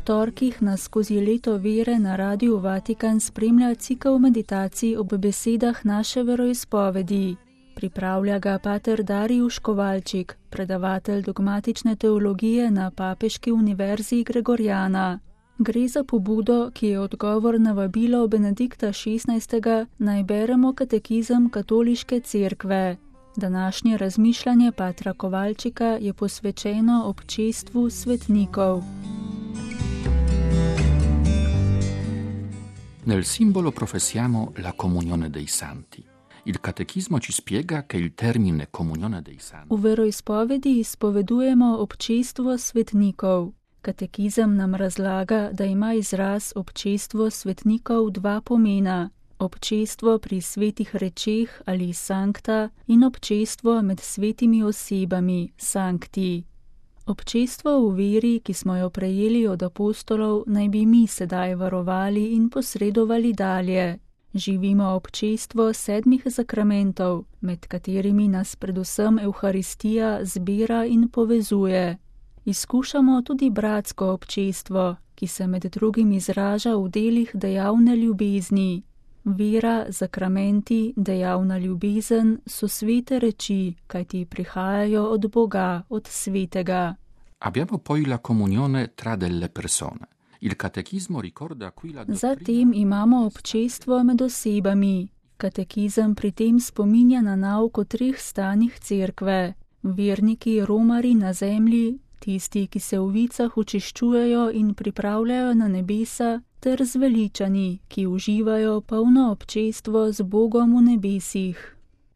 torkih nas skozi leto vere na Radiu Vatikan spremlja cikel meditacij ob besedah naše veroizpovedi. Pripravlja ga pater Darijuš Kovalčik, predavatelj dogmatične teologije na Papeški univerzi Gregorjana. Gre za pobudo, ki je odgovor na vabilo Benedikta XVI. Naj beremo katekizem Katoliške cerkve. Današnje razmišljanje patra Kovalčika je posvečeno občestvu svetnikov. Nel simbolo professiamo la comunione dei santi. Il catechismo ci spiega che il termine comunione dei santi. V veroizpovedi izpovedujemo občestvo svetnikov. Katekizem nam razlaga, da ima izraz občestvo svetnikov dva pomena. Občestvo pri svetih rečeh ali sankta in občestvo med svetimi osebami, sankti. Občestvo v veri, ki smo jo prejeli od apostolov, naj bi mi sedaj varovali in posredovali dalje. Živimo občestvo 7 zakramentov, med katerimi nas predvsem Evharistija zbira in povezuje. Izkušamo tudi bratsko občestvo, ki se med drugim izraža v delih dejavne ljubezni. Vera, zakramenti, dejavna ljubezen so svete reči, kajti prihajajo od Boga, od svetega. Abbiamo poi la comunione tra delle persone. Il catechismo ricorda qui la dottrina. Zatem imamo občestvo med osebami. Katekizem pri tem spominja na nauk o 3 stanjih cerkve. Verniki romari na zemlji, tisti, ki se v vicah očiščujejo in pripravljajo na nebesa, ter zveličani, ki uživajo polno občestvo z Bogom v nebesih.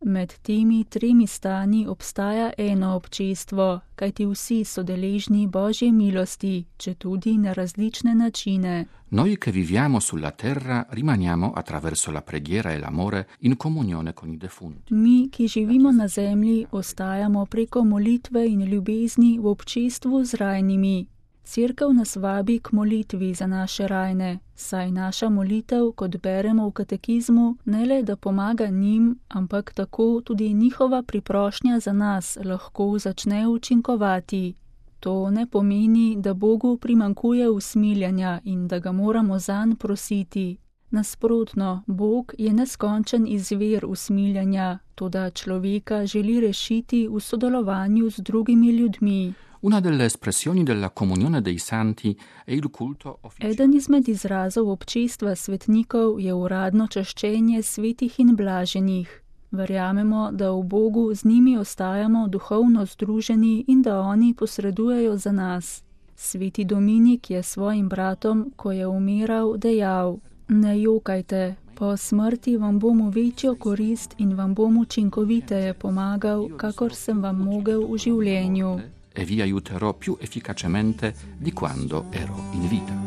Med temi 3 stanji obstaja eno občestvo, kajti vsi so deležni Božje milosti, četudi na različne načine. Noi che viviamo sulla terra rimaniamo attraverso la preghiera e l'amore in comunione con i defunti. Mi, ki živimo na zemlji, ostajamo preko molitve in ljubezni v občestvu z rajnimi. Cerkev nas vabi k molitvi za naše rajne, saj naša molitev, kot beremo v katekizmu, ne le da pomaga njim, ampak tako tudi njihova priprošnja za nas lahko začne učinkovati. To ne pomeni, da Bogu primanjkuje usmiljanja in da ga moramo zanj prositi. Nasprotno, Bog je neskončen izvir usmiljanja, toda človeka želi rešiti v sodelovanju z drugimi ljudmi. Una delle espressioni della comunione dei santi è il culto ufficiale. Eden izmed izrazov občestva svetnikov je uradno čaščenje svetih in blaženih. Verjamemo, da v Bogu z njimi ostajamo duhovno združeni in da oni posredujejo za nas. Sveti Dominik je svojim bratom, ko je umiral, dejal: Ne jokajte, po smrti vam bom v večjo korist in vam bom učinkoviteje pomagal, kakor sem vam mogel v življenju. E vi aiuterò più efficacemente di quando ero in vita.